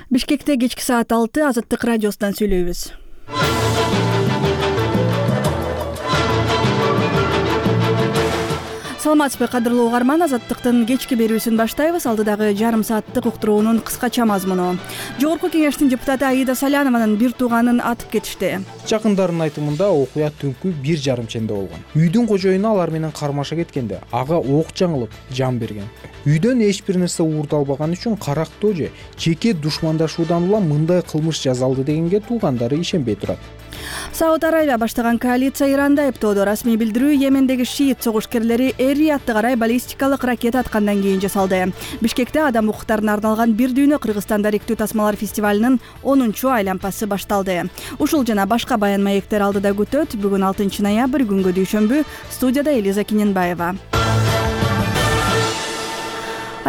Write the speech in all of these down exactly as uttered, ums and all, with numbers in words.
Бишкекте кечки саат алты Азаттык радиосунан сүйлөйбүз. Саламатсызбы кадырлуу угарман, Азаттыктын кечки берүүсүн баштайбыз. Алдыдагы жарым сааттык уктуруунун кыскача мазмуну. Жогорку кеңештин депутаты Аида Салянованын бир тууганын атып кетишти. Жакындарынын айтымында окуя түнкү бир жарым ченде болгон. Үйдүн кожоюну алар менен кармаша кеткенде ага ок жаңылып жан берген. Үйдөн эч бир нерсе уурдалбаган үчүн карактоо же жеке душмандашуудан улам мындай кылмыш жасалды дегенге туугандары ишенбей турат. Сауд Арабия баштаган коалиция Иранда айыптоодо. Расмий билдирүү Йемендеги шиит согушкерлери Эр-Риядты карай баллистикалык ракета аткандан кийин жасалды. Бишкекте адам укуктарына арналган бир дүйнө Кыргызстан даректүү тасмалар фестивалынын онунчу айлампасы башталды. Ушул жана башка баян маектер алдыда күтөт. Бүгүн алтынчы ноябрь күнгө дүйшөмбү. Студияда Элиза Киненбаева.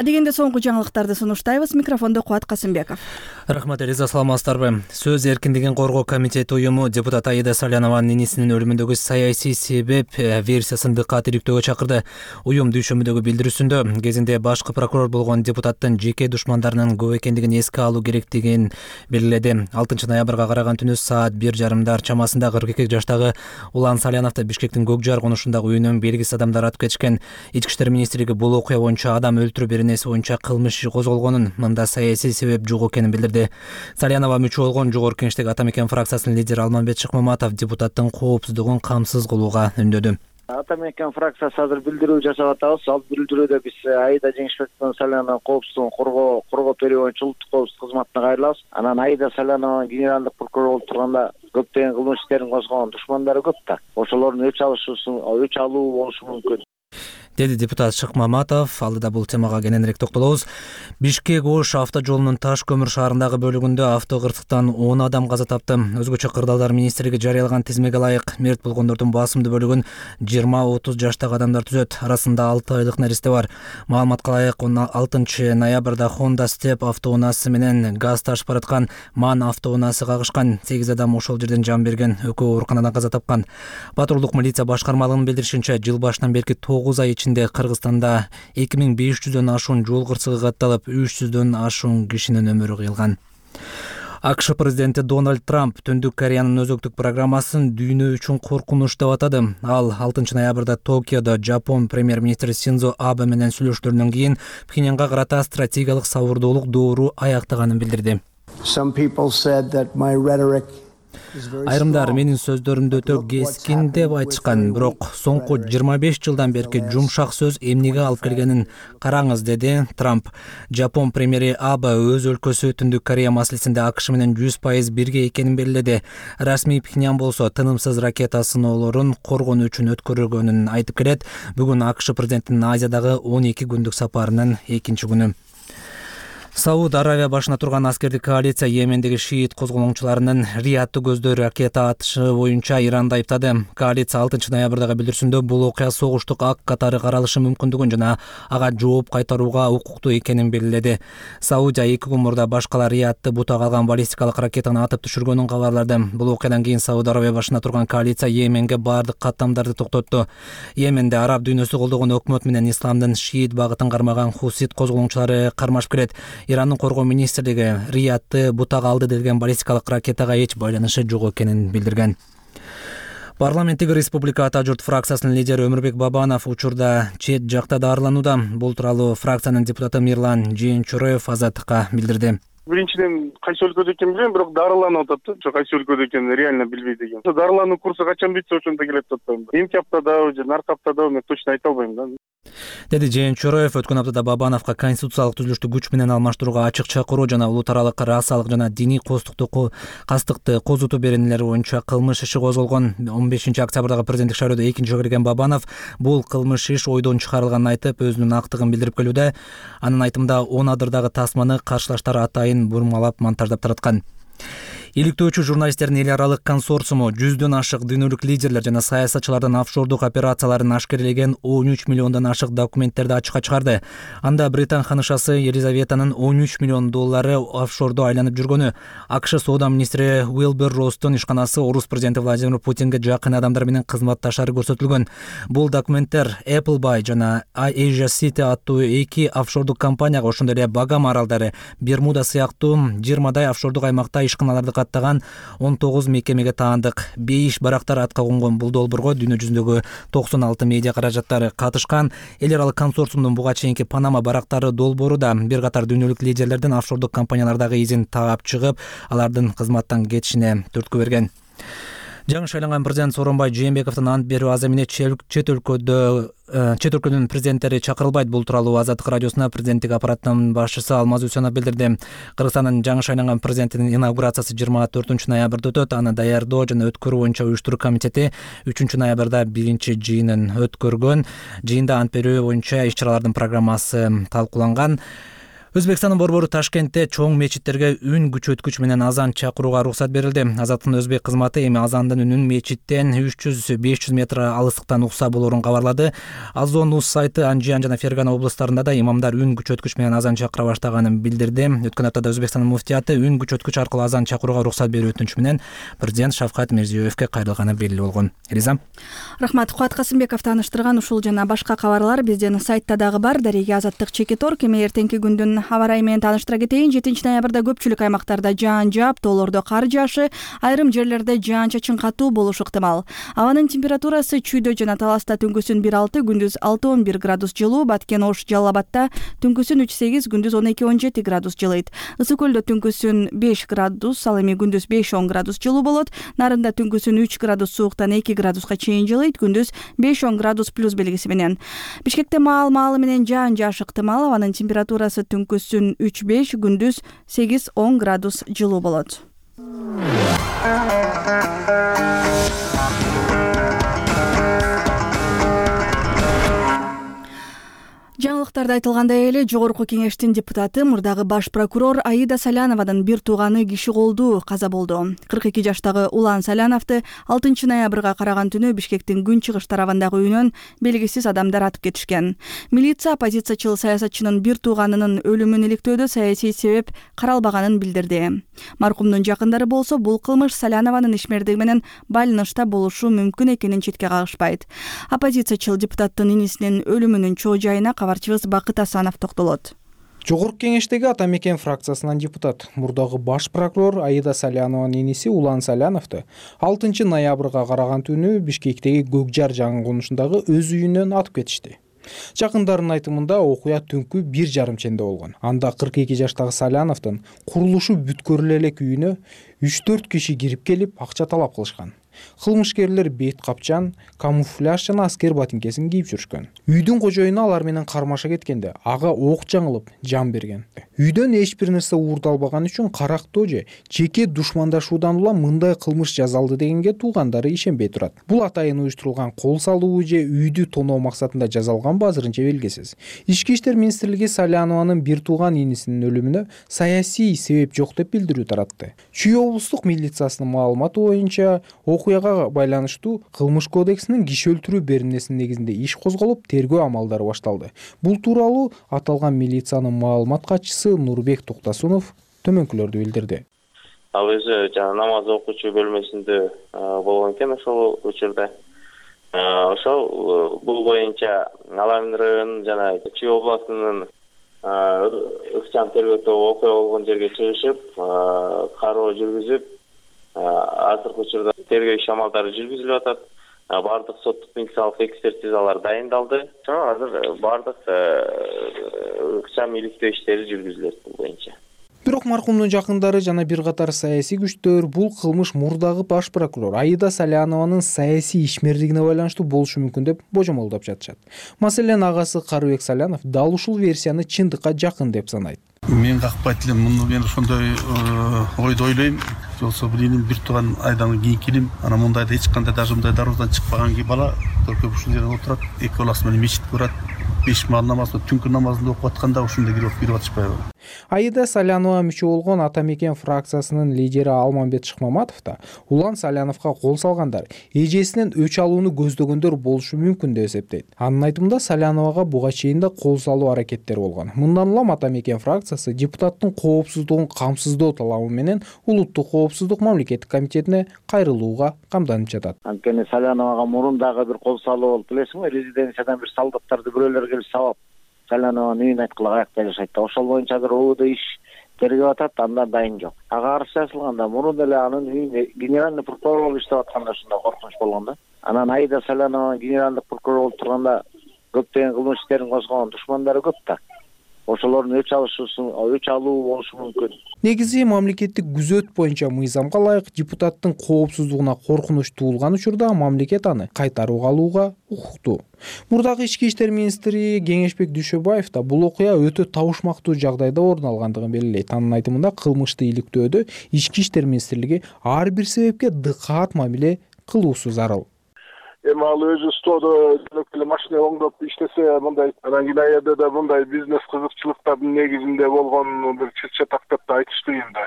Адегенде соңку жаңылыктарды сунуштайбыз. Микрофондо Кубат Касымбеков. Рахмат, Элиза, саламатсыздарбы? Сөз эркиндигин коргоо комитети уюму депутат Аида Салянованын инисинин өлүмүндөгү саясий себеп версиясын дыккат иликтөөгө чакырды. Уюм дүйшөмбүдөгү билдирүүсүндө кезинде башкы прокурор болгон депутаттын жеке душмандарынын көп экендигин эске алуу керектигин белгиледи. алтынчы ноябрга караган түнү саат бир жарымдар чамасында кырк эки жаштагы Улан Саляновду Бишкектин Көк Жар конушундагы үйүнөн белгисиз адамдар атып кетишкен. Ички иштер министрлиги бул окуя боюнча адам өлтүрүү беренеси боюнча кылмыш иши козголгонун, мында саясий себеп жок экенин билдирди. Салянова мүчө болгон Жогорку Кеңештеги Атамекен фракциясынын лидери Алмамбет Шыкмаматов депутаттын коопсуздугун камсыз кылууга үндөдү. Атамекен фракциясы азыр билдирүү жасап атабыз. Ал билдирүүдө биз Аида Жеңишбековдун Салянованын коопсуздугун коргоо коргоо берүү боюнча улуттук коопсуздук кызматына кайрылабыз. Анан Аида Салянованын генералдык прокурор болуп турганда көптөгөн кылмыш иштерин козгогон душмандары көп да. Ошолордун өч алышуусун өч алуу болушу мүмкүн, деди депутат Шыкмаматов. Алдыда бул темага кененирээк токтолобуз. Бишкек-Ош авто жолунун Таш көмүр шаарындагы бөлүгүндө автокырсыктан он адам каза тапты. Өзгөчө кырдаалдар министрлиги жарыялаган тизмеге ылайык мерт болгондордун басымдуу бөлүгүн жыйырма отуз жаштагы адамдар түзөт. Арасында алты айлык нересте бар. Маалыматка ылайык алтынчы ноябрда Honda Step автоунаасы менен газ ташып бараткан Ман автоунаасы кагышкан. сегиз адам ошол жерден жан берген, экөө ооруканадан каза тапкан. Патрулдук милиция башкармалыгынын билдиришинче, жыл башынан берки тогуз ай ичинде Кыргызстанда эки миң беш жүздөн ашуун жол кырсыгы катталып, үч жүздөн ашуун кишинин өмүрү кыйылган. АКШ президенти Дональд Трамп Түндүк Кореянын өзөктүк программасын дүйнө үчүн коркунуч деп атады. Ал алтынчы ноябрда Токиодо Жапон премьер-министри Синдзо Абе менен сүйлөшүүлөрдөн кийин Пхеньянга карата стратегиялык сабырдуулук доору аяктаганын билдирди. Айрымдар менин сөздөрүмдү өтө кескин деп айтышкан, бирок соңку жыйырма беш жылдан берки жумшак сөз эмнеге алып келгенин караңыз, деди Трамп. Жапон премьери Абе өз өлкөсү Түндүк Корея маселесинде АКШ менен жүз пайыз бирге экенин белгиледи. Расмий Пхеньян болсо тынымсыз ракета сыноолорун коргонуу үчүн өткөрүлгөнүн айтып келет. Бүгүн АКШ президентинин Азиядагы он эки күндүк сапарынын экинчи күнү. Сауд Арабия башына турган аскердик коалиция Йемендеги шиит козголоңчуларынын Риядты көздөй ракета атышы боюнча Иранды айыптады. Коалиция алтынчы ноябрдагы билдирүүсүндө бул окуя согуштук ак катары каралышы мүмкүндүгүн жана ага жооп кайтарууга укуктуу экенин белгиледи. Саудия эки күн мурда башкалар Риядты бутак алган баллистикалык ракетаны атып түшүргөнүн кабарлады. Бул окуядан кийин Сауд Арабия башына турган коалиция Йеменге бардык каттамдарды токтотту. Йеменде араб дүйнөсү колдогон өкмөт менен исламдын шиит багытын кармаган хусит козголоңчулары кармашып келет. Ирандын коргоо министрлиги Риядты бутак алды делген баллистикалык ракетага эч байланышы жок экенин билдирген. Парламенттеги Республика Ата журт фракциясынын лидери Өмүрбек Бабанов учурда чет жакта дарыланууда. Бул тууралуу фракциянын депутаты Мирлан Жээнчуроев Азаттыкка билдирди. Биринчиден кайсы өлкөдө экенин билем, бирок дарыланып атат да. Кайсы өлкөдө экенин реально билбейт экенм. Дарылануу курсу качан бүтсө ошондо келет деп атпайм. Эмки аптадабы же наркы аптадабы мен точно айта албайм да. Деди Жээнчуроев. Өткөн аптада Бабановго конституциялык түзүлүштү күч менен алмаштырууга ачык чакыруу жана улут аралык расалык жана диний костукту кастыкты козутуу беренелери боюнча кылмыш иши козголгон. он бешинчи октябрдагы президенттик шайлоодо экинчи жолу кирген Бабанов бул кылмыш иш ойдон чыгарылганын айтып, өзүнүн актыгын билдирип келүүдө. Анын айтымында он адырдагы тасманы каршылаштар атайын бурмалап монтаждап тараткан. Иликтөөчү журналисттердин эл аралык консорциуму жүздөн ашык дүйнөлүк лидерлер жана саясатчылардын офшордук операцияларын ашкерелеген он үч миллиондон ашык документтерди ачыкка чыгарды. Анда Британ ханышасы Елизаветанын он үч миллион доллары офшордо айланып жүргөнү, АКШ соода министри Уилбер Росстун ишканасы орус президенти Владимир Путинге жакын адамдар менен кызматташары көрсөтүлгөн. Бул документтер Appleby жана Asia City аттуу эки офшордук компанияга, ошондой эле Багам аралдары, Бермуда сыяктуу жыйырмадай офшордук аймакта ишканаларды каттаган он тогуз мекемеге таандык. Бейиш барактар атка конгон бул долбоорго дүйнө жүзүндөгү токсон алты медиа каражаттары катышкан. Эл аралык консорциумдун буга чейинки Панама барактары долбоору да бир катар дүйнөлүк лидерлердин офшордук компаниялардагы изин таап чыгып, алардын кызматтан кетишине түрткү берген. Жаңы шайланган президент Сооронбай Жээнбековдун ант берүү аз эмне чет өлкөдө чет өлкөнүн президенттери чакырылбайт. Бул тууралуу Азаттык радиосуна президенттик аппараттын башчысы Алмаз Үсөнов билдирди. Кыргызстандын жаңы шайланган президентинин инаугурациясы жыйырма төртүнчү ноябрда өтөт. Аны даярдоо жана өткөрүү боюнча уюштуруу комитети үчүнчү ноябрда биринчи жыйынын өткөргөн. Жыйында ант берүү боюнча иш-чаралардын программасы талкууланган. Өзбекстандын борбору Ташкентте чоң мечиттерге үн күчөткүч менен азан чакырууга уруксат берилди. Азаттын өзбек кызматы эми азандын үнүн мечиттен үч жүз беш жүз метр алыстыктан укса болоорун кабарлады. Азон Нус сайты Анжиан жана Фергана облустарында да имамдар үн күчөткүч менен азан чакыра баштаганын билдирди. Өткөн аптада Өзбекстандын муфтияты үн күчөткүч аркылуу азан чакырууга уруксат берүү өтүнүчү менен президент Шавкат Мирзиёевке кайрылганы белгилүү болгон. Элиза. Рахмат. Кубат Касымбеков тааныштырган ушул жана башка кабарлар биздин сайтта дагы бар. Дареге Азаттык Чекитор эми эртеңки күндүн аба ырайы менен тааныштыра кетейин. жетинчи ноябрда көпчүлүк аймактарда жаан жаап, тоолордо кар жаашы, айрым жерлерде жаан-чачын катуу болушу ыктымал. Абанын температурасы Чүйдө жана Таласта түнкүсүн бир алты, күндүз алты он бир градус жылуу, Баткен, Ош, Жалал Абадта түнкүсүн үч сегиз, күндүз он эки он жети градус жылыйт. Ысык көлдө түнкүсүн беш градус, ал эми күндүз беш он градус жылуу болот. Нарында түнкүсүн үч градус сууктан эки градуска чейин жылыйт, күндүз беш он градус плюс белгиси менен. Бишкекте маал-маалы менен жаан жаашы ыктымал. Абанын температурасы түнкүсүн үч беш, күндүз сегиз он градус жылуу болот. Жаңылыктарда айтылгандай эле Жогорку Кеңештин депутаты, мурдагы баш прокурор Аида Саляновадын бир тууганы киши колдуу каза болду. кырк эки жаштагы Улан Саляновду алтынчы ноябрга караган түнү Бишкектин күн чыгыш тарабындагы үйүнөн белгисиз адамдар атып кетишкен. Милиция оппозициячыл саясатчынын бир тууганынын өлүмүн иликтөөдө саясий себеп каралбаганын билдирди. Маркумдун жакындары болсо бул кылмыш Салянованын ишмердиги менен байланышта болушу мүмкүн экенин четке кагышпайт. Оппозициячыл депутаттын инисинин өлүмүнүн чоо жайына кабарчыбыз Бакыт Асанов токтолот. Жогорку Кеңештеги Ата мекен фракциясынан депутат, мурдагы баш прокурор Аида Салянованын иниси Улан Саляновду алтынчы ноябрга караган түнү Бишкектеги Көкжар жаңы конушундагы өз үйүнөн атып кетишти. Жакындарынын айтымында окуя түнкү бир жарым ченде болгон. Анда кырк эки жаштагы Саляновдун курулушу бүткөрүлө элек үйүнө үч төрт киши кирип келип акча талап кылышкан. Кылмышкерлер бет капчан, камуфляж жана аскер ботинкесин кийип жүрүшкөн. Үйдүн кожоюну алар менен кармаша кеткенде ага ок жаңылып жан берген. Үйдөн эч бир нерсе уурдалбаган үчүн карактоо же жеке душмандашуудан улам мындай кылмыш жасалды дегенге туугандары ишенбей турат. Бул атайын уюштурулган кол салуу же үйдү тоноо максатында жасалганбы азырынча белгисиз. Ички иштер министрлиги Салянованын бир тууган инисинин өлүмүнө саясий себеп жок деп билдирүү таратты. Чүй облустук милициясынын маалыматы боюнча окуяга байланыштуу кылмыш кодексинин киши өлтүрүү беренесинин негизинде иш козголуп, тергөө амалдары башталды. Бул тууралуу аталган милициянын маалымат катчысы Нурбек Токтосунов төмөнкүлөрдү билдирди. Ал өзү жана намаз окуучу бөлмөсүндө болгон экен ошол учурда. Ошол бул боюнча Алан районунун жана Чүй областынын ыкчам тергөө тобу окуя болгон жерге чыгышып, кароо жүргүзүп, азыркы учурда тергөө иш амалдары жүргүзүлүп атат. Бардык соттук медициналык экспертизалар дайындалды. Азыр бардык ыкчам иликтөө иштери жүргүзүлөт бул боюнча. Бирок маркумдун жакындары жана бир катар саясий күчтөр бул кылмыш мурдагы баш прокурор Аида Салянованын саясий ишмердигине байланыштуу болушу мүмкүн деп божомолдоп жатышат. Маселен, агасы Карыбек Салянов дал ушул версияны чындыкка жакын деп санайт. Мен какпайт элем, муну мен ошондой ойду ойлойм. Жолсо билиним бир тууган айдан кийинки илим, анан мындайда эч кандай даже мындай дарбаздан чыкпаган ки бала көркөп ушул жерде отурат, эки баласы менен мечитке барат, беш маал намазды түнкү намазын окуп атканда ушундай кирип кирип атышпайбы. Аида Салянова мүчө болгон Ата мекен фракциясынын лидери Алмамбет Шыкмаматов да Улан Саляновго кол салгандар эжесинен өч алууну көздөгөндөр болушу мүмкүн деп эсептейт. Анын айтымында Саляновага буга чейин да кол салуу аракеттери болгон. Мындан улам Ата мекен фракциясы депутаттын коопсуздугун камсыздоо талабы менен Улуттук коопсуздук мамлекеттик комитетине кайрылууга камданып жатат. Анткени Саляновага мурун дагы бир кол салуу болуп, билесиңби, резиденциядан бир солдаттарды бирөөлөр келип сабап Салянованын үйүн айткыла каякта жашайт да. Ошол боюнча азыр ООД иш тергеп атат, анда дайын жок. Ага арыз жазылганда мурун эле анын үйүндө генеральный прокурор болуп иштеп атканда ушундай коркунуч болгон да. Анан Аида Салянова генеральный прокурор болуп турганда көптөгөн кылмыш иштерин козгогон душмандары көп да. Ошолордун өч алышуусу, өч алуу болушу мүмкүн. Негизи мамлекеттик күзөт боюнча мыйзамга ылайык депутаттын коопсуздугуна коркунуч туулган учурда мамлекет аны кайтарууга алууга укуктуу. Мурдагы ички иштер министри Кеңешбек Дүйшөбаев да бул окуя өтө табышмактуу жагдайда орун алгандыгын белгилейт. Анын айтымында кылмышты иликтөөдө ички иштер министрлиги ар бир себепке дыкаат мамиле кылуусу зарыл. Эми ал өзү стодо эле машина оңдоп иштесе, мындай анан Кинаеде да мындай бизнес кызыкчылыктардын негизинде болгон бир чыт-чатак деп да айтыш кыйын да.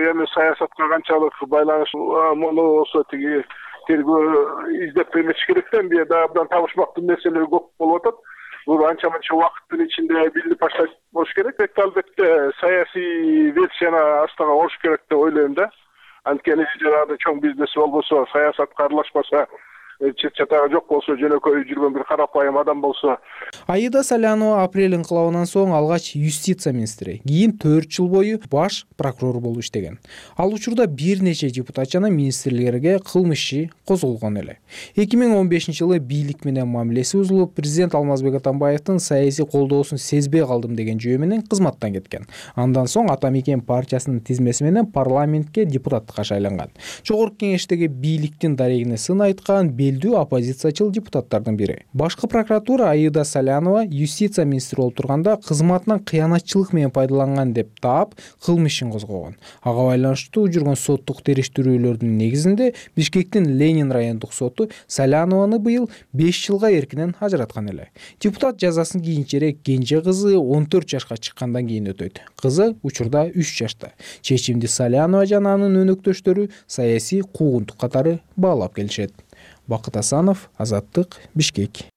Эми саясатка канчалык байланыш муну болсо тиги тергөө издеп эметиш керек да, эмне да абдан табышмактуу нерселер көп болуп атат. Бул анча мынча убакыттын ичинде билип башташ болуш керек. Албетте саясий версияны астага коюш керек деп ойлойм да. Анткени жанагы чоң бизнес болбосо, саясатка аралашпаса, чет-чатагы жок болсо, жөнөкөй жүргөн бир карапайым адам болсо. Аида Салянова апрель инкылабынан соң алгач юстиция министри, кийин төрт жыл бою баш прокурор болуп иштеген. Ал учурда бир нече депутат жана министрлерге кылмыш иши козголгон эле. эки миң он бешинчи жылы бийлик менен мамилеси бузулуп, президент Алмазбек Атамбаевдин саясий колдоосун сезбей калдым деген жөө менен кызматтан кеткен. Андан соң Ата мекен партиясынын тизмеси менен парламентке депутаттыкка шайланган. Жогорку кеңештеги бийликтин дарегине сын айткан белдүү оппозициячыл депутаттардын бири. Башкы прокуратура Аида Салянова юстиция министри болуп турганда кызматынан кыянатчылык менен пайдаланган деп таап, кылмыш ишин козгогон. Ага байланыштуу жүргөн соттук териштирүүлөрдүн негизинде Бишкектин Ленин райондук соту Салянованы быйыл беш жылга эркинен ажыраткан эле. Депутат жазасын кийинчерээк кенже кызы он төрт жашка чыккандан кийин өтөйт. Кызы учурда үч жашта. Чечимди Салянова жана анын өнөктөштөрү саясий куугунтук катары баалап келишет. Бакыт Асанов, Азаттык, Бишкек.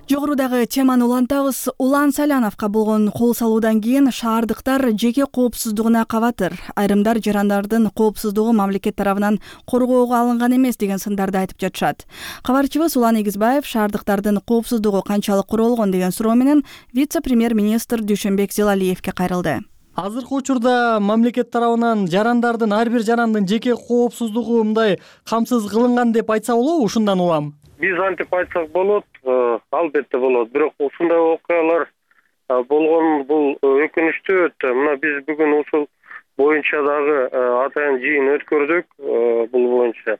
Жогорудагы теманы улантабыз. Улан Саляновго болгон кол салуудан кийин шаардыктар жеке коопсуздугуна кабатыр. Айрымдар жарандардын коопсуздугу мамлекет тарабынан коргоого алынган эмес деген сындарды айтып жатышат. Кабарчыбыз Улан Эгизбаев шаардыктардын коопсуздугу канчалык куролгон деген суроо менен вице-премьер-министр Дүйшөнбек Зилалиевге кайрылды. Азыркы учурда мамлекет тарабынан жарандардын ар бир жарандын жеке коопсуздугу мындай камсыз кылынган деп айтса болобу? Ушундан улам. Биз антип айтсак болот, албетте болот. Бирок ушундай окуялар болгон бул өкүнүчтүү өтө. Мына биз бүгүн ушул боюнча дагы атайын жыйын өткөрдүк. Бул боюнча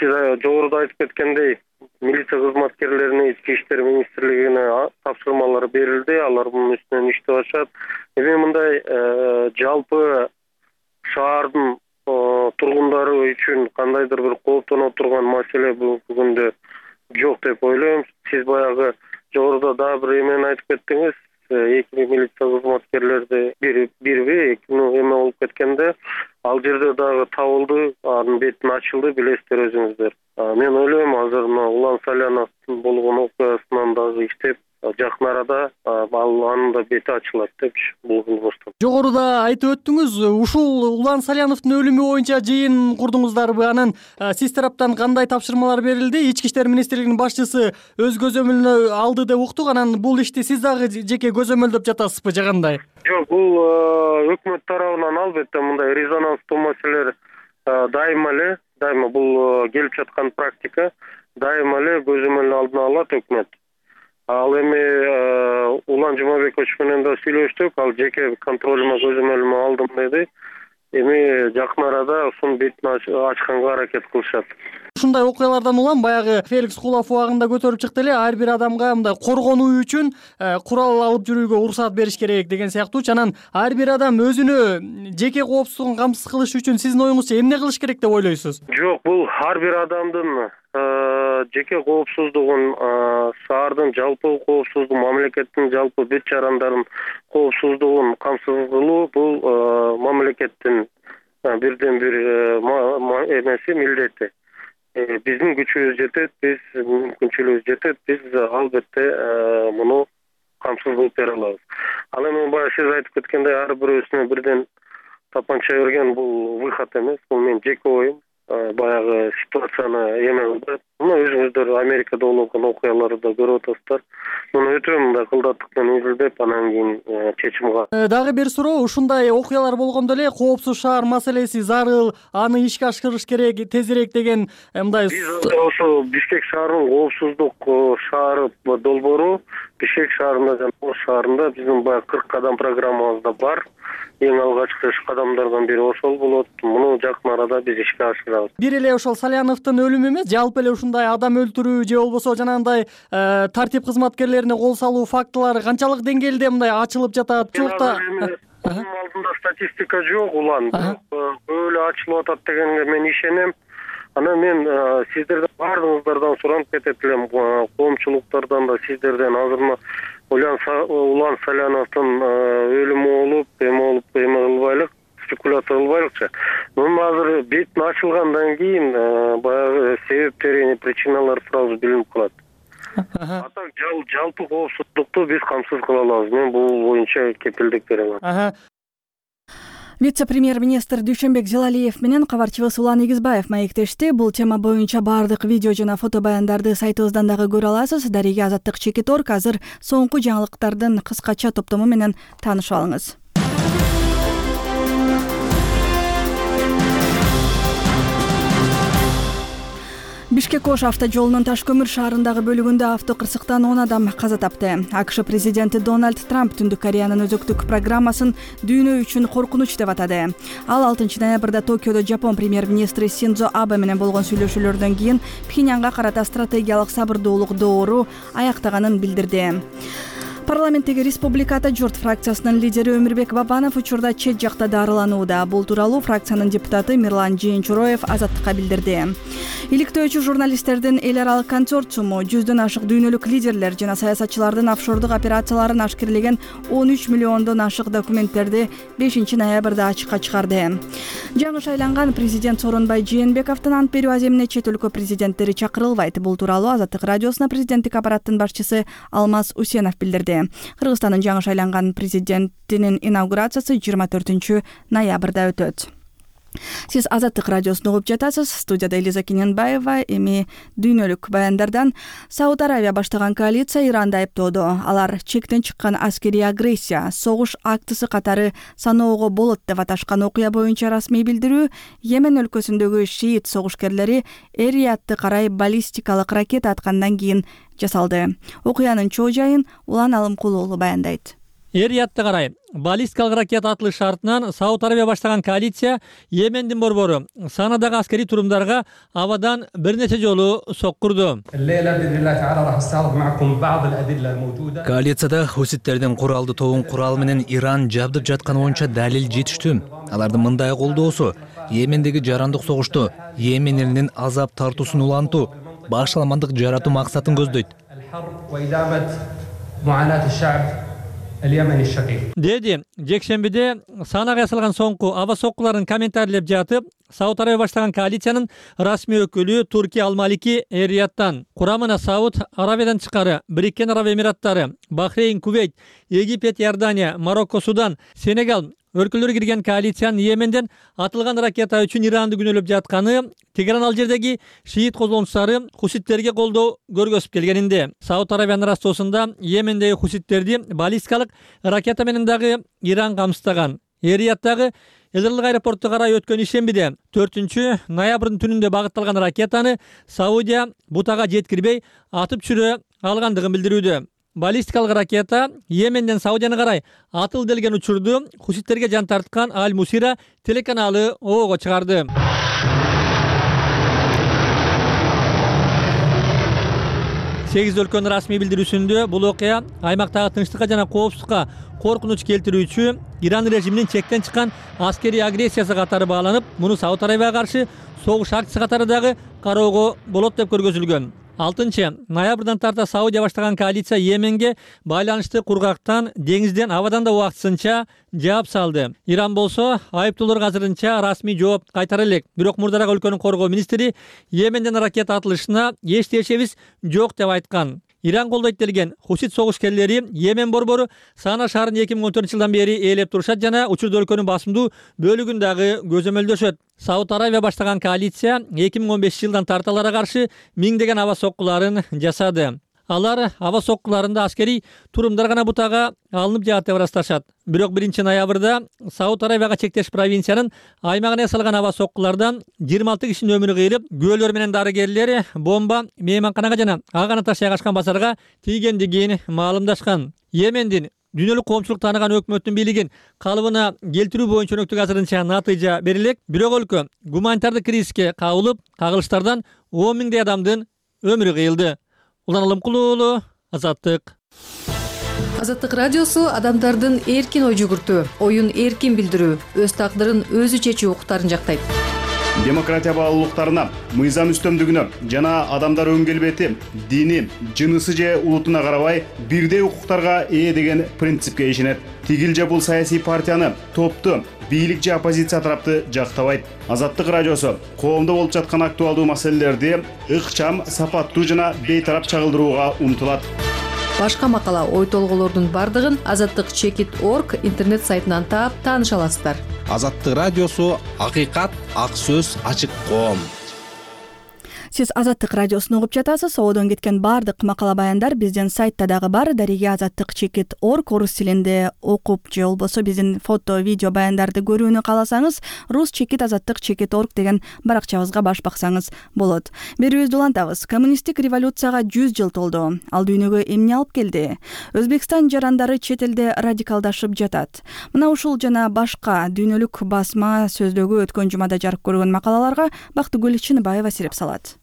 сиз жогоруда айтып кеткендей, милиция кызматкерлерине ички иштер министрлигине тапшырмалар берилди. Алар мунун үстүнөн иштеп атышат. Эми мындай жалпы шаардын тургундары үчүн кандайдыр бир кооптоно турган маселе бүгүнкү күндө жок деп ойлойм. Сиз баягы жогоруда дагы бир эмени айтып кеттиңиз. Эки милиция кызматкерлерди бирби эки эме болуп кеткенде ал жерде дагы табылды, анын бетин ачылды, билесиздер өзүңүздөр. Мен ойлойм азыр мына Улан Саляновдун болгон окуясынан дагы иштеп жакын арада ал анын да бети ачылат депчи бул кылмыштан. Жогоруда айтып өттүңүз, ушул Улан Саляновдун өлүмү боюнча жыйын курдуңуздарбы? Анан сиз тараптан кандай тапшырмалар берилди? Ички иштер министрлигинин башчысы өз көзөмөлүнө алды деп уктук. Анан бул ишти сиз дагы жеке көзөмөлдөп жатасызбы же кандай? Жок, бул өкмөт тарабынан албетте мындай резонанстуу маселелер дайыма эле, дайыма бул келип жаткан практика, дайыма эле көзөмөл алдына алат өкмөт. Ал эми Улан Жумабекович менен да сүйлөштүк, ал жеке контролюма көзөмөлүмө алдым деди. Эми жакын арада ушунун бетин ачканга аракет кылышат. Ушундай окуялардан улам баягы Феликс Кулов убагында көтөрүп чыкты эле, ар бир адамга мындай коргонуу үчүн курал алып жүрүүгө уруксаат бериш керек деген сыяктуучу. Анан ар бир адам өзүнө жеке коопсуздугун камсыз кылыш үчүн сиздин оюңузча эмне кылыш керек деп ойлойсуз? Жок, бул ар бир адамдын жеке коопсуздугун, шаардын жалпы коопсуздугун, мамлекеттин жалпы бүт жарандардын коопсуздугун камсыз кылуу бул мамлекеттин бирден бир эмеси, милдети. Биздин күчүбүз жетет, биз мүмкүнчүлүгүбүз жетет, биз албетте муну камсыз кылып бере алабыз. Ал эми баягы сиз айтып кеткендей ар бирөөсүнө бирден тапанча берген бул выход эмес, бул менин жеке оюм. Баягы ситуацияны эме кылды. Муну өзүңүздөр Америкада болуп аткан окуяларды да көрүп атасыздар. Муну өтө мындай кылдаттык менен изилдеп, анан кийин чечим кылат. Дагы бир суроо, ушундай окуялар болгондо эле коопсуз шаар маселеси зарыл, аны ишке ашырыш керек тезирээк деген мындай. Биз ошо Бишкек шаарынын коопсуздук шаары долбоору Бишкек шаарында жана Ош шаарында биздин баягы кырк кадам программабызда бар. Эң алгачкы иш кадамдардан бири ошол болот. Муну жакын арада биз ишке ашырабыз. Бир эле ошол Саляновдун өлүмү эмес, жалпы эле ушундай адам өлтүрүү же болбосо жанагындай тартип кызматкерлерине кол салуу фактылары канчалык деңгээлде мындай ачылып жатат? Чукта алдында статистика жок улан. Өлө ачылып атат дегенге мен ишенем. Анан мен сиздерден баардыгыңыздардан суранып кетет элем, коомчулуктардан да сиздерден азыр Улан Саляновдун өлүмү болуп, эме болуп, эме кылбайлык, спекуляция кылбайлыкчы. Муну азыр бетин ачылгандан кийин баягы себептери, причиналары сразу билинип калат. А так жалпы коопсуздукту биз камсыз кыла алабыз. Мен бул боюнча кепилдик берем. Вице-премьер-министр Дүйшөнбек Зилалиев менен кабарчыбыз Улан Игизбаев маектешти. Бул тема боюнча баардык видео жана фото баяндарды сайтыбыздан дагы көрө аласыз. Дарига Азаттык Чекиторг азыр соңку жаңылыктардын кыскача топтому менен таанышып алыңыз. Бишкек-Ош автожолунун Ташкөмүр шаарындагы бөлүгүндө авто кырсыктан он адам каза тапты. АКШ президенти Дональд Трамп Түндүк Кореянын өзөктүк программасын дүйнө үчүн коркунуч деп атады. Ал алтынчы ноябрда Токиодо Жапон премьер-министри Синдзо Абе менен болгон сүйлөшүүлөрдөн кийин Пхеньянга карата стратегиялык сабырдуулук доору аяктаганын билдирди. Парламенттеги Республика Ата Журт фракциясынын лидери Өмүрбек Бабанов учурда чет жакта дарыланууда. Бул тууралуу фракциянын депутаты Мирлан Жээнчуроев Азаттыкка билдирди. Иликтөөчү журналисттердин эл аралык консорциуму жүздөн ашык дүйнөлүк лидерлер жана саясатчылардын офшордук операцияларын ашкерлеген он үч миллиондон ашык документтерди бешинчи ноябрда ачыкка чыгарды. Жаңы шайланган президент Сооронбай Жээнбековдун ант берүү аземине чет өлкө президенттери чакырылбайт. Бул тууралуу Азаттык радиосуна президенттик аппараттын башчысы Алмаз Усенов билдирди. Кыргызстандын жаңы шайланган президентинин инаугурациясы жыйырма төртүнчү ноябрда өтөт. Сиз Азаттык радиосун угуп жатасыз. Студияда Элиза Кененбаева. Эми дүйнөлүк баяндардан Сауд Аравия баштаган коалиция Иранды айыптоодо. Алар чектен чыккан аскерий агрессия, согуш актысы катары саноого болот деп аташкан окуя боюнча расмий билдирүү Йемен өлкөсүндөгү шиит согушкерлери Эр-Риядты карай баллистикалык ракета аткандан кийин жасалды. Окуянын чоо жайын Улан Алымкулуу баяндайт. Эр-Риядты карай баллистикалык ракета атылыш шартынан Сауд Аравия баштаган коалиция Йемендин борбору Санадагы аскерий турумдарга абадан бир нече жолу соккурду. Коалицияда хуситтердин куралдуу тобун курал менен Иран жабдып жатканы боюнча далил жетиштүү. Алардын мындай колдоосу Йемендеги жарандык согушту Йемен элинин азап тартуусун улантуу, башаламандык жаратуу максатын көздөйт. Деди жекшембиде Санага ясалган соңку аба соккуларын комментарийлеп жатып, Сауд Аравия баштаган коалициянын расмий өкүлү Турки Ал-Малики Эр-Рияттан курамына Сауд Аравиядан тышкары Бириккен Араб Эмираттары, Бахрейн, Кувейт, Египет, Иордания, Марокко, Судан, Сенегал өлкөлөрү кирген коалициянын Йеменден атылган ракета үчүн Иранды күнөөлөп жатканы, Тегеран ал жердеги шиит козголуңчулары хуситтерге колдоо көргөзүп келгенинде, Сауд Аравиянын растоосунда Йемендеги хуситтерди баллистикалык ракета менен дагы Иран камсыздаган. Эр-Рияттагы Эзерлик аэропорту карай өткөн ишембиде төртүнчү ноябрдын түнүндө багытталган ракетаны Саудия бутага жеткирбей атып түшүрө алгандыгын билдирүүдө. Баллистикалык ракета Йеменден Саудияны карай атыл делген учурду хуситтерге жан тарткан Аль-Мусира телеканалы оого чыгарды. сегиз өлкөнүн расмий билдирүүсүндө бул окуя аймактагы тынчтыкка жана коопсуздукка коркунуч келтирүүчү Иран режиминин чектен чыккан аскерий агрессиясы катары бааланып, муну Сауд Арабияга каршы согуш акциясы катары дагы кароого болот деп көргөзүлгөн. алтынчы ноябрдан тарта Саудия баштаган коалиция Йеменге байланышты кургактан, деңизден, абадан да убактысынча жаап салды. Иран болсо айыптоолорго азырынча расмий жооп кайтара элек. Бирок мурдараак өлкөнүн коргоо министри Йеменден ракета атылышына эч тиешебиз жок деп айткан. Иран колдойт делген хусит согушкерлери Йемен борбору Сана шаарын эки миң он төртүнчү жылдан бери ээлеп турушат жана учурда өлкөнүн басымдуу бөлүгүн дагы көзөмөлдөшөт. Сауд Арабия баштаган коалиция эки миң он бешинчи жылдан тарта аларга каршы миңдеген аба соккуларын жасады. Алар аба соккуларында аскерий турумдар гана бутага алынып жаат деп ырасташат. Бирок биринчи ноябрда Сауд Арабияга чектеш провинциянын аймагына ясалган аба соккулардан жыйырма алты кишинин өмүрү кыйылып, күбөлөр менен дарыгерлер бомба мейманканага жана ага таш жайгашкан базарга тийгендигин маалымдашкан. Йемендин дүйнөлүк коомчулук тааныган өкмөттүн бийлигин калыбына келтирүү боюнча өнөктүк азырынча натыйжа берилек. Бирок өлкө гуманитардык кризиске кабылып, кагылыштардан он миңдей адамдын өмүрү кыйылды. Улан Алымкулуу уулу, Азаттык. Азаттык радиосу адамдардын эркин ой жүгүртүү, оюн эркин билдирүү, өз тагдырын өзү чечүү укуктарын жактайт. Демократия баалуулуктарына, мыйзам үстөмдүгүнө жана адамдар өң келбети, дини, жынысы же улутуна карабай бирдей укуктарга ээ деген принципке ишенет. Тигил же бул саясий партияны, топту, бийлик же оппозиция тарапты жактабайт. Азаттык радиосу коомдо болуп жаткан актуалдуу маселелерди ыкчам, сапаттуу жана бейтарап чагылдырууга умтулат. Башка макала, ой толголордун бардыгын азаттык чекит точка орг интернет сайтынан таап тааныша аласыздар. Азаттык радиосу акыйкат, ак сөз, ачык коом. Сиз Азаттык радиосун угуп жатасыз. Одон кеткен бардык макала баяндар биздин сайтта дагы бар. Дареге азаттык чекит точка орг орус тилинде окуп же болбосо биздин фото, видео баяндарды көрүүнү кааласаңыз, рус чекит азаттык чекит точка орг деген баракчабызга баш баксаңыз болот. Берүүбүздү улантабыз. Коммунисттик революцияга жүз жыл толду. Ал дүйнөгө эмне алып келди? Өзбекстан жарандары чет элде радикалдашып жатат. Мына ушул жана башка дүйнөлүк басма сөздөгү өткөн жумада жарык көргөн макалаларга Бактыгүл Чыныбаева сереп салат.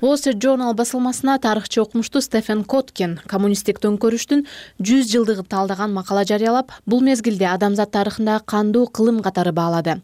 Wall Street Journal басылмасына тарыхчы окумуштуу Стефен Коткин коммунисттик төңкөрүштүн жүз жылдыгын талдаган макала жарыялап, бул мезгилде адамзат тарыхындагы кандуу кылым катары баалады.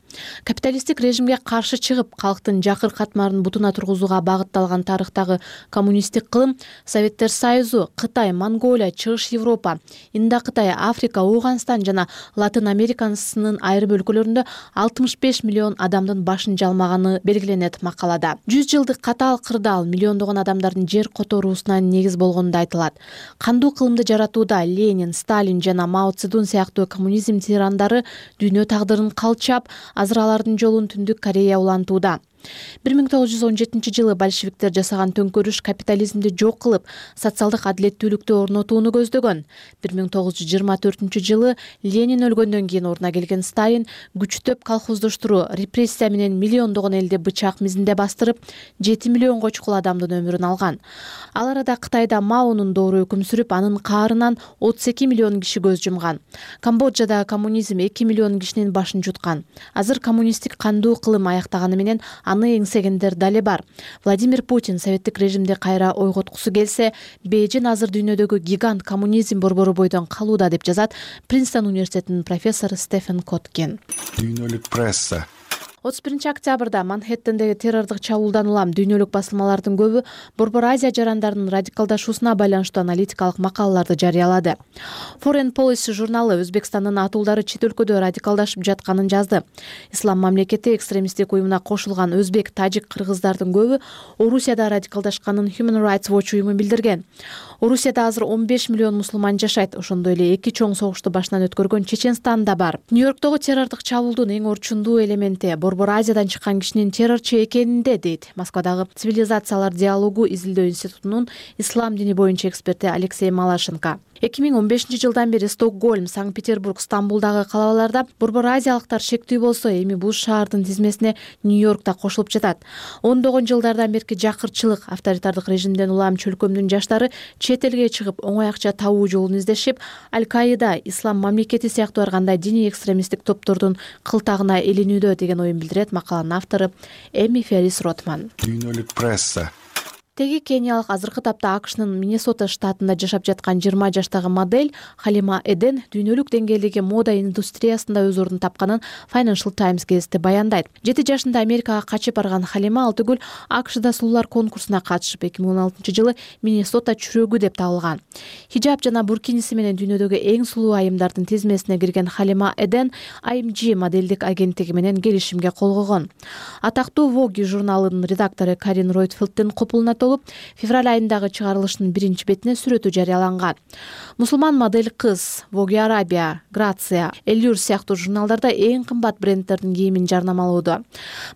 Капиталисттик режимге каршы чыгып, калктын жакыр катмарын бутуна тургузууга багытталган тарыхтагы коммунисттик кылым Советтер Союзу, Кытай, Монголия, Чыгыш Европа, Индокытай, Африка, Ауганстан жана Латын Америкасынын айрым өлкөлөрүндө алтымыш беш миллион адамдын башын жалмаганы белгиленет макалада. жүз жылдык катаал кырдаал миллиондогон адамдардын жер которуусуна негиз болгону да айтылат. Кандуу кылымды жаратууда Ленин, Сталин жана Мао Цзэдун сыяктуу коммунизм тирандары дүйнө тагдырын калчап, азыр алардын жолун Түндүк Корея улантууда. бир миң тогуз жүз он жетинчи жылы большевиктер жасаган төңкөрүш капитализмди жок кылып, социалдык адилеттүүлүктү орнотууну көздөгөн. бир миң тогуз жүз жыйырма төртүнчү жылы Ленин өлгөндөн кийин ордуна келген Сталин күчтөп колхоздоштуруу, репрессия менен миллиондогон элди бычак мизинде бастырып, жети миллионго чукул адамдын өмүрүн алган. Ал арада Кытайда Маонун доору өкүм сүрүп, анын каарынан отуз эки миллион киши көз жумган. Камбоджада коммунизм эки миллион кишинин башын жуткан. Азыр коммунисттик кандуу кылым аяктаганы менен аны эңсегендер дале бар. Владимир Путин советтик режимди кайра ойготкусу келсе, Бейжин азыр дүйнөдөгү гигант коммунизм борбору бойдон калууда деп жазат Принстон университетинин профессору Стефен Коткин. Дүйнөлүк пресса отуз биринчи октябрда Манхэттендеги террордук чабуулдан улам дүйнөлүк басылмалардын көбү Борбор Азия жарандарынын радикалдашуусуна байланыштуу аналитикалык макалаларды жарыялады. Foreign Policy журналы Өзбекстандын атуулдары чет өлкөдө радикалдашып жатканын жазды. Ислам мамлекети экстремисттик уюмуна кошулган өзбек, тажик, кыргыздардын көбү Орусияда радикалдашканын Human Rights Watch уюму билдирген. Орусияда азыр он беш миллион мусулман жашайт. Ошондой эле эки чоң согушту башынан өткөргөн Чеченстан да бар. Нью-Йорктогу террордук чабуулдун эң орчундуу элементи Борбор Азиядан чыккан кишинин террорчу экенинде, дейт Москвадагы Цивилизациялар диалогу изилдөө институтунун ислам дини боюнча эксперти Алексей Малашенко. эки миң он бешинчи жылдан бери Стокгольм, Санкт-Петербург, Стамбулдагы калаларда Борбор Азиялыктар шектүү болсо, эми бул шаардын тизмесине Нью-Йорк да кошулуп жатат. Ондогон жылдардан берки жакырчылык, авторитардык режимден улам чөлкөмдүн жаштары чет элге чыгып, оңой акча табуу жолун издешип, Аль-Каида, Ислам мамлекети сыяктуу ар кандай диний экстремисттик топтордун кылтагына илинүүдө деген оюн билдирет макаланын автору Эми Феррис Ротман. Дүйнөлүк пресса Тиги кениялык азыркы тапта АКШнын Миннесота штатында жашап жаткан жыйырма жаштагы модель Халима Эден дүйнөлүк деңгээлдеги мода индустриясында өз ордун тапканын Financial Times гезити баяндайт. жети жашында Америкага качып барган Халима ал түгүл АКШда сулуулар конкурсуна катышып эки миң он алтынчы жылы Миннесота чүрөгү деп табылган. Хиджаб жана буркиниси менен дүйнөдөгү эң сулуу айымдардын тизмесине кирген Халима Эден ай эм джи моделдик агенттиги менен келишимге кол койгон. Атактуу Vogue журналынын редактору Карин Ройтфилдтин копулуна толуп, февраль айындагы чыгарылыштын биринчи бетине сүрөтү жарыяланган. Мусулман модель кыз Vogue Arabia, Grazia, Allure сыяктуу журналдарда эң кымбат брендтердин кийимин жарнамалоодо.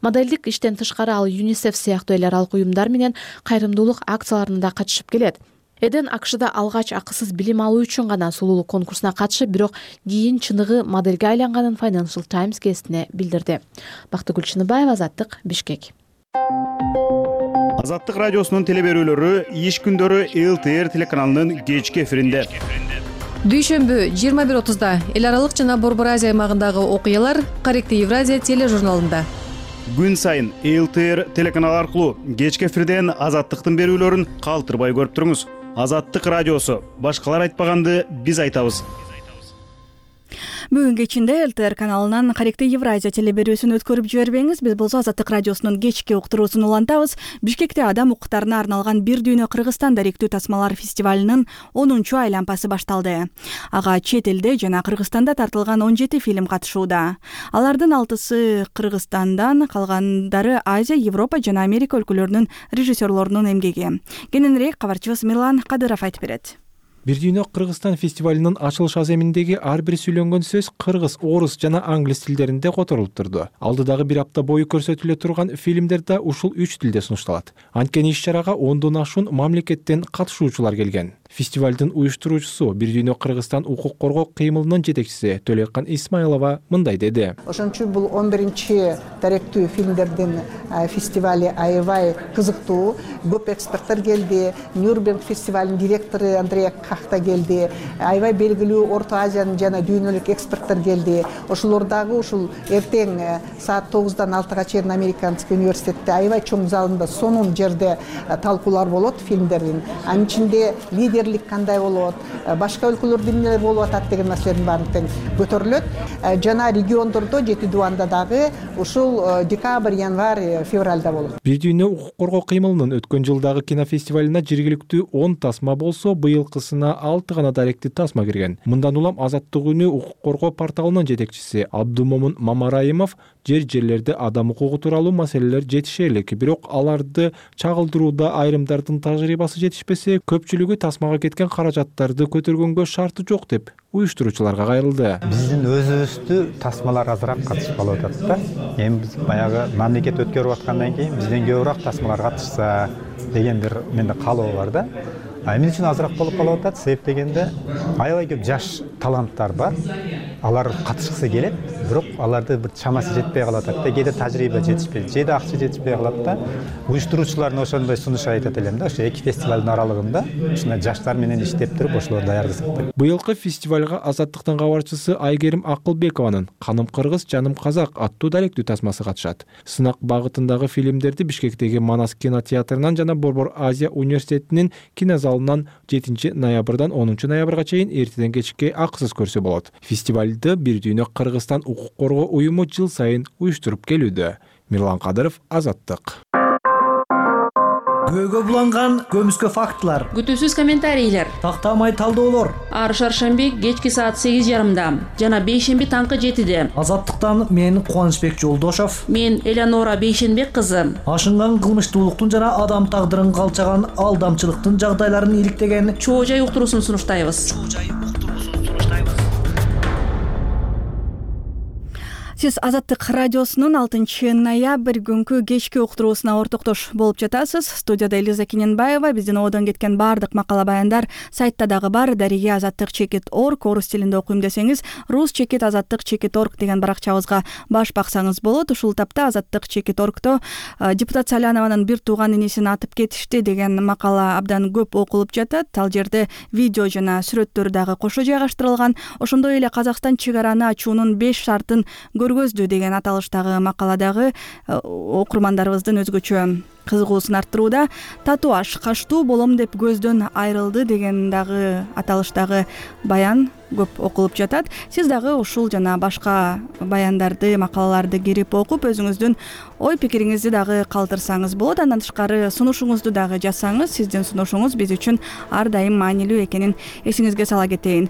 Моделдик иштен тышкары ал ЮНИСЕФ сыяктуу эл аралык уюмдар менен кайрымдуулук акцияларына да катышып келет. Эден АКШда алгач акысыз билим алуу үчүн гана сулуулук конкурсуна катышып, бирок кийин чыныгы модельге айланганын Financial Times гезитине билдирди. Бактыгүл Чыныбаева, Азаттык, Бишкек. Азаттык радиосунун теле берүүлөрү иш күндөрү эл тэ эр телеканалынын кечки эфиринде. Дүйшөмбү жыйырма бир отузда эл аралык жана Борбор Азия аймагындагы окуялар Корректив Евразия тележурналында. Күн сайын эл тэ эр телеканалы аркылуу кечки эфирден Азаттыктын берүүлөрүн калтырбай көрүп туруңуз. Азаттык радиосу. Башкалар айтпаганды биз айтабыз. Бүгүн кечинде эл тэ эр каналынан Корректив Евразия теле берүүсүн өткөрүп жибербеңиз. Биз болсо Азаттык радиосунун кечки уктуруусун улантабыз. Бишкекте адам укуктарына арналган Бир дүйнө Кыргызстан даректүү тасмалар фестивалынын онунчу айланпасы башталды. Ага чет элде жана Кыргызстанда тартылган он жети фильм катышууда. Алардын алтысы Кыргызстандан, калгандары Азия, Европа жана Америка өлкөлөрүнүн режиссерлорунун эмгеги. Кененирээк кабарчыбыз Мирлан Кадыров айтып берет. Бир дүйнө Кыргызстан фестивалынын ачылыш аземиндеги ар бир сүйлөнгөн сөз кыргыз, орус жана англис тилдеринде которулуп турду. Алдыдагы бир апта бою көрсөтүлө турган фильмдер да ушул үч тилде сунушталат. Анткени иш-чарага ондон ашуун мамлекеттен катышуучулар келген. Фестивалдын уюштуруучусу Бир дүйнө Кыргызстан укук коргоо кыймылынын жетекчиси Төлөккан Исмайлова мындай деди. Ошон үчүн бул он биринчи даректүү фильмдердин фестивали аябай кызыктуу. Көп эксперттер келди. Нюрнберг фестивалынын директору Андрея Кахта келди. Аябай белгилүү Орто Азиянын жана дүйнөлүк эксперттер келди. Ошолор дагы ушул эртең саат тогуздан алтыга чейин Американский университетте аябай чоң залында сонун жерде талкуулар болот фильмдердин. Анын ичинде лидерлик кандай болот, башка өлкөлөрдө эмнелер болуп атат деген маселенин баарын тең көтөрүлөт. Жана региондордо жети дубанда дагы ушул декабрь, январь, февралда болот. Бир дүйнө укук коргоо кыймылынын өткөн жылдагы кинофестивалына жергиликтүү он тасма болсо, быйылкысына алты гана даректүү тасма кирген. Мындан улам Азаттык үнү укук коргоо порталынын жетекчиси Абдумомун Мамараимов жер жерлерде адам укугу тууралуу маселелер жетишерлик, бирок аларды чагылдырууда айрымдардын тажрыйбасы жетишпесе, көпчүлүгү тасмага кеткен каражаттарды көтөргөнгө шарты жок деп уюштуруучуларга кайрылды. Биздин өзүбүздү тасмалар азыраак катышып калып атат да. Эми биз баягы мамлекет өткөрүп аткандан кийин бизден көбүрөөк тасмалар катышса деген бир менде каалоо бар да. Эмне үчүн азыраак болуп калып атат? Себеп дегенде аябай көп жаш таланттар бар. Алар катышкысы келет, бирок аларды бир чамасы жетпей калат да. Кээде тажрыйба жетишпейт, кээде акча жетишпей калат да. Уюштуруучулардын ошондой сунуш айтат элем да. Ошо эки фестивалдын аралыгында ушундай жаштар менен иштеп туруп ошолорду даярдасак деп. Быйылкы фестивалга Азаттыктын кабарчысы Айгерим Акылбекованын Каным кыргыз, жаным казак аттуу даректүү тасмасы катышат. Сынак багытындагы фильмдерди Бишкектеги Манас кинотеатрынан жана Борбор Азия университетинин кинозалынан жетинчи ноябрдан онунчу ноябрга чейин эртеден кечке акысыз көрсө болот. Фестивалды Бир дүйнө Кыргызстан укук коргоо уюму жыл сайын уюштуруп келүүдө. Мирлан Кадыров, Азаттык. Көйгө буланган көмүскө фактылар, күтүүсүз комментарийлер, тактамай талдоолор. Ар шаршемби кечки саат сегиз жарымда жана бейшемби таңкы жетиде. Азаттыктан мен Кубанычбек Жолдошов, мен Элеонора Бейшенбек кызы. Ашынган кылмыштуулуктун жана адам тагдырын калчаган алдамчылыктын жагдайларын иликтеген чоо жай уктуруусун сунуштайбыз. Сиз Азаттык радиосунун алтынчы ноябрь күнкү кечки уктуруусуна ортоктош болуп жатасыз. Студияда Элиза Кененбаева. Биздин одон кеткен баардык макала баяндар сайтта дагы бар. Дариге азаттык чекит орг, орус тилинде окуйм десеңиз, рус чекит азаттык чекит орг деген баракчабызга баш баксаңыз болот. Ушул тапта азаттык чекит оргто депутат Салянованын бир тууган инисин атып кетишти деген макала абдан көп окулуп жатат. Ал жерде видео жана сүрөттөр дагы кошо жайгаштырылган. Ошондой эле Казакстан чек араны ачуунун беш шартын көргөздү деген аталыштагы макаладагы окурмандарыбыздын өзгөчө кызыгуусун арттырууда. Татуаж качтуу болом деп көздөн айрылды деген дагы аталыштагы баян көп окулуп жатат. Сиз дагы ушул жана башка баяндарды, макалаларды кирип окуп, өзүңүздүн ой пикириңизди дагы калтырсаңыз болот. Андан тышкары сунушуңузду дагы жазсаңыз, сиздин сунушуңуз биз үчүн ар дайым маанилүү экенин эсиңизге сала кетейин.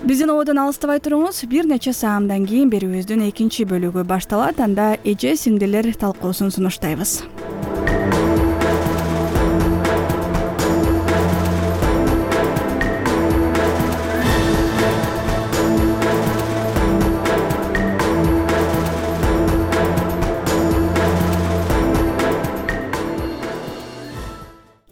Биздин ободон алыстабай туруңуз. Бир нече саамдан кийин берүүбүздүн экинчи бөлүгү башталат. Анда эже сиңдилер талкуусун сунуштайбыз.